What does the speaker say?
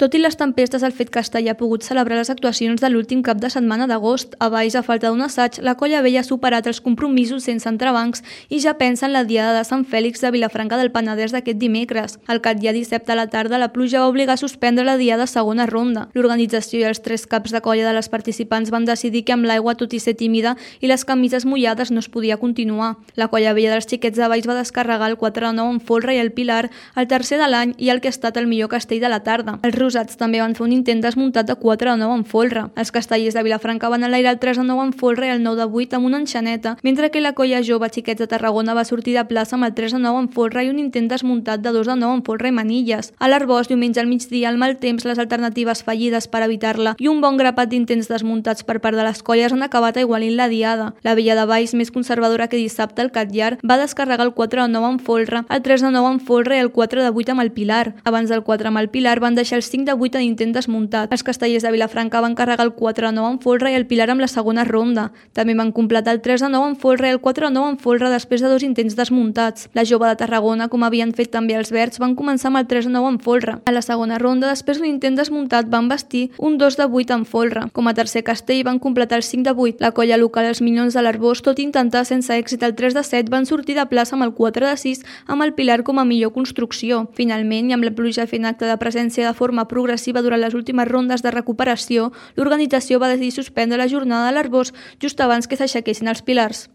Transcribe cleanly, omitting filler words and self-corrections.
Tot i les tempestes, el fet Castellà ha pogut celebrar les actuacions de l'últim cap de setmana d'agost. A Valls, a falta d'un assaig, la Colla Vella ha superat els compromisos sense entrebancs i ja pensa en la Diada de Sant Fèlix de Vilafranca del Penedès d'aquest dimecres. El dia dissabte a la tarda, la pluja va obligar a suspendre la Diada segona ronda. L'organització i els 3 caps de colla de les participants van decidir que amb l'aigua, tot i ser tímida i les camises mullades, no es podia continuar. La Colla Vella dels xiquets de Valls va descarregar el 4 de 9 en folre i el Pilar, el tercer de l'any i el que ha estat el millor castell de la tarda. Els rosats també van fer un intent desmuntat de 4 de 9 en folre. Els castellers de Vilafranca van enlairar el 3 de 9 en folre i el 9 de 8 amb una enxaneta, mentre que la colla jove Xiquets de Tarragona va sortir de plaça amb el 3 de 9 en folre i un intent desmuntat de 2 de 9 en folre i manilles. A l'Arboç, diumenge al migdia, el mal temps, les alternatives fallides per evitar-la i un bon grapat d'intents desmuntats per part de les colles han acabat aigualint la Diada. La Vella de Valls, més conservadora que dissabte, el Catllar, va descarregar el 4 de 9 en folre, el 3 de 9 en folre i el 4 de 8 amb el Pilar. Abans del 4 amb el Pilar van deixar el 5 de 8 d'intent desmuntat. Els castellers de Vilafranca van carregar el 4 de 9 en folre i el Pilar amb la segona ronda. També van completar el 3 de 9 en folre i el 4 de 9 en folre després de 2 intents desmuntats. La jove de Tarragona, com havien fet també els verds, van començar amb el 3 de 9 en folre. A la segona ronda, després d'un intent desmuntat, van vestir un 2 de 8 en folre. Com a tercer castell van completar el 5 de 8. La colla local, els Minyons de l'Arboç, tot i intentar sense èxit el 3 de 7, van sortir de plaça amb el 4 de 6 amb el Pilar com a millor construcció. Finalment, i amb la pluja fent acte de presència de forma progressiva durant les últimes rondes de recuperació, l'organització va decidir suspendre la jornada de l'Arboç just abans que s'aixequessin els pilars.